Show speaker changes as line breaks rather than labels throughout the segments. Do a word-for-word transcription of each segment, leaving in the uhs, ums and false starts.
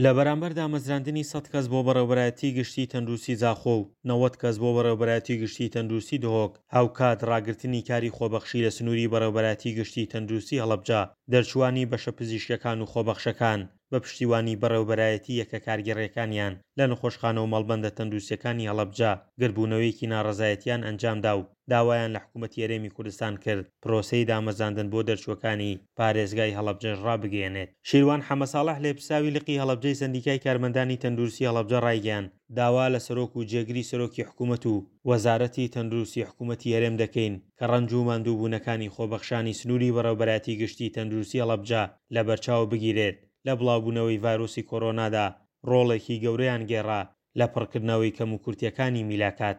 لە بەرامبەر دامەزراندنی سەد کەس بۆ بەڕێوەبەرایەتی گشتی تەندروستی زاخۆ و نەوەد کەس بۆ بەڕێوەبەرایەتی گشتی تەندروستی دهۆک، هاوکات ڕاگرتنی کاری خۆبەخشی لە سنووری بەڕێوەبەرایەتی گشتی تەندروستی هەڵەبجە، دەرچووانی بەشە پزیشکیەکان و خۆبەخشەکان بە پشتیوانی بەڕێوەبەرایەتی یەکە کارگێڕیەکانیان لە نەخۆشخانە و مەڵبەندە تەندروستیەکانی هەڵەبجە گردبوونەوەیەکی ناڕەزایەتیان ئەنجامدا و داوایان لە حکوومەتی هەرێمی کوردستان کرد پرۆسەی دامەزراندن بۆ دەرچووەکانی پارێزگای هەڵەبجەش ڕابگەیەنێت. شیروان حەمەساڵح لێپرسراوی لقی هەڵەبجەی سەندیکای کارمەندانی تەندروستی هەڵەبجە ڕایگەیاند، داوا لە سەرۆک و جێگری سەرۆکی حکوومەت و وەزارەتی تەندروستی حکوومەتی هەرێم دەکەین کە ڕەنج و ماندووبوونەکانی خۆبەخشانی سنووری بەڕێوەبەرایەتی گشتی تەندروستی هەڵەبجە لەبەرچاو بگیرێت لە بڵاوبوونەوەی ڤایرۆسی کۆرۆنادا ڕۆڵێکی گەورەیان گێڕا لە پڕکردنەوەی کەموکورتیەکانی میلاکات.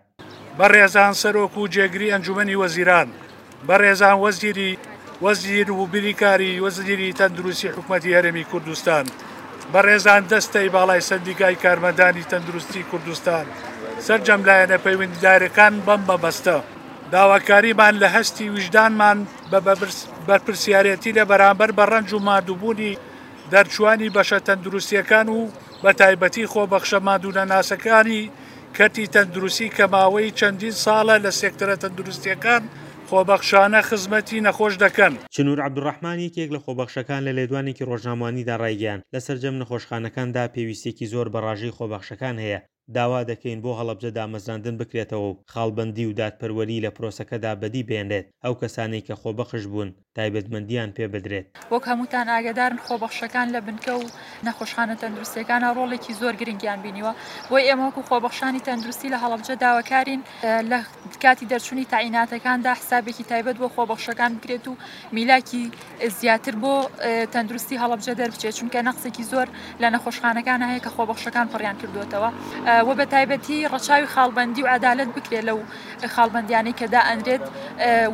بەڕێزان سەرۆک و جێگری ئەنجومەنی وەزیران، بەڕێزان وەزیری وەزیر و بریکاری وەزیری تەندروستی حکومەتی هەرێمی کوردستان، بەڕێزان دەستەی باڵای سەندیکای کارمەندانی تەندروستی کوردستان، سەرجەم لایەنە پەیوەندیدارەکان بەم مەبەستە داواکاریمان لە هەستی ویژدانمان بە بەرپرسیارێتی لە بەرامبەر بە ڕەنج و ماندووبوونی دەرچوانی بەشە تەندروستیەکان و بە تایبەتی خۆبەخشە ماندوونەناسەکانی کەرتی تەندروستی کە ماوەی چەندین ساڵە لە سێکتەرە تەندروستیەکان خۆبەخشانە خزمەتی نەخۆش دەکەن.
چنور عەبدولڕەحمان یەکێک لە خۆبەخشەکان لە لێدوانێکی ڕۆژنامەوانیدا ڕایگەیاند، لە سەرجەم نەخۆشخانەکاندا پێویستیەکی زۆر بە ڕاژەی خۆبەخشەکان هەیە، داوا دەکەین بۆ هەڵەبجە دامەزراندن بکرێتەوە و خاڵبەندی و دادپەروەری لە پرۆسەکەدا بەدی بهێنرێت، ئەو کەسانەی کە خۆبەخش بوون تایبەتمەندییان پێ بدرێت.
وەک هەمووتان ئاگادارن خۆبەخشەکان لە بنکە و نەخۆشخانە تەندروستیەکانە ڕۆڵێکی زۆر گرنگیان بینیوە، بۆی ئێمە وەکو خۆبەخشانی تەندروستی لە هەڵەبجە داواکارین لە کاتی دەرچوونی تاعیناتەکاندا حسابێکی تایبەت بۆ خۆبەخشەکان بکرێت و میلاکی زیاتر بۆ تەندروستی هەڵەبجە دەربچێت، چونکە نەقسێکی زۆر لە نەخۆشخانەکان هەیە کە خۆبەخشەکان پڕیان کردوێتەوە و بە تایبەتی ڕەچاوی خاڵبەندی و عەدالەت بکرێت لەو خاڵبەندیانەی کە دائەنرێت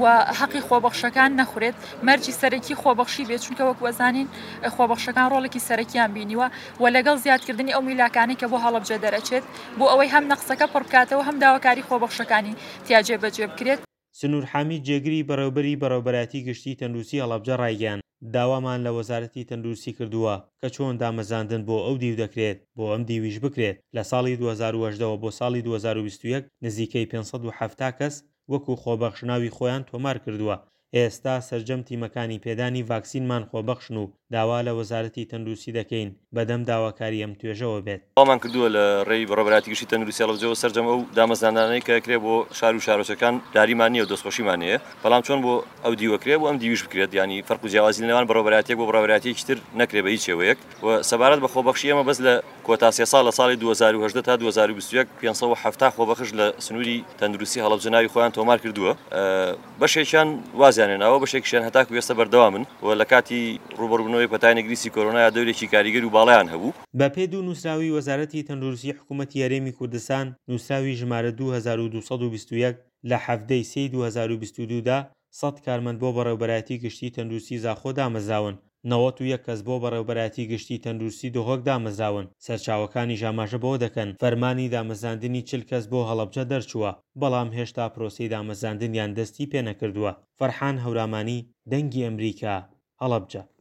و حەقی خۆبەخشەکان نەخورێت، مەرجی سەرەکی خۆبەخشی بێت، چونکە وەک وەزانین خۆبەخشەکان ڕۆڵێکی سەرەکیان بینیوە و لەگەڵ زیادکردنی ئەو میلاکانەی کە بۆ هەڵەبجە دەرەچێت بۆ ئەوەی هەم نەقسەکە پڕ بکاتەوە هەم داواکاری خۆبەخشەکانی تیا جێبەجێ بکرێت.
سنوور حامید جێگری بەڕێوبەری بەڕێوبەرایەتی گشتی تەندروستی هەڵەبجە ڕایگەیاند، داوامان لە وەزارەتی تەندروستی کردووە کە چۆن دامەزراندن بۆ ئەو دیو دەکرێت بۆ ئەم دیویش بکرێت، لە ساڵی دوو هەزار و هەژدە وە بۆ ساڵی دوو هەزار و بیست و یەک نزیکەی پێنج سەد و حەفتا کەس وەکو خۆبەخش ناوی خۆیان تۆمار کردووە، ئێستا سەرجەم تیمەکانی پێدانی ڤاکسینمان خۆبەخشن و داوا لە وەزارەتی تەندروستی دەکەین بەدەم داواکاری ئەم توێژەوە بێت.
داوامان کردووە لە ڕێی بەڕێوەبەرایەتی گشتی تەندروستی هەڵەبجەوە سەرجەم ئەو دامەزراندانەی کە ئەکرێ بۆ شار و شارۆچکەکان لاریمان نییە و دەستخۆشیمان هەیە، بەڵام چۆن بۆ ئەو دیوە کرێ بۆ ئەم دیویش بکرێت، یانی فەرق و جیاوازی لە نێوان بەڕێوەبەرایەتیەک بۆ بەڕێوەبەرایەتیەکی تر نەکرێ بە هیچ شێوەیەک. و سەبارەت بە خۆبەخشی ئێمە بەس لە کۆتا سێ ساڵ لە ساڵی دوو هەزار و هەژدە تا دوو هەزار و بیست و یەک پێنج سەد و حەفتا خۆبەخش لە سنووری تەندروستی هەڵەبجە ناوی خۆیان تۆمار کردووە، بەشێکیان وازیان هێناوە، بەشێکیشیان هەتاکو ئێستا بەردەوامن و لە کاتی ڕووبەڕووبوونەوەی پەتای نەگریسی کۆرۆنایا دەورێکی کاریگەر و باڵایان هەبوو.
بەپێی دوو نووسراوی وەزارەتی تەندروستی حکوومەتی هەرێمی کوردستان، نووسراوی ژمارە دوو هەزار و دوو سەد و بیست و یەک لە حەڤدە ی سێی دوو هەزار و بیست و دوو دا سەد کارمەند بۆ بەڕێوبەرایەتی گشتی تەندروستی زاخۆ دامەزراون، نەوەت و یەک کەس بۆ بەڕێوبەرایەتی گشتی تەندروستی دهۆک دامەزراون، سەرچاوەکانیش ئاماژە بەوە دەکەن، فەرمانی دامەزراندنی چل کەس بۆ هەڵەبجە دەرچووە، بەڵام هێشتا پرۆسەی دامەزراندنیان دەستی پێنەکردووە. فەرحان هەورامانی، دەنگی ئەمریکا، هەڵەبجە.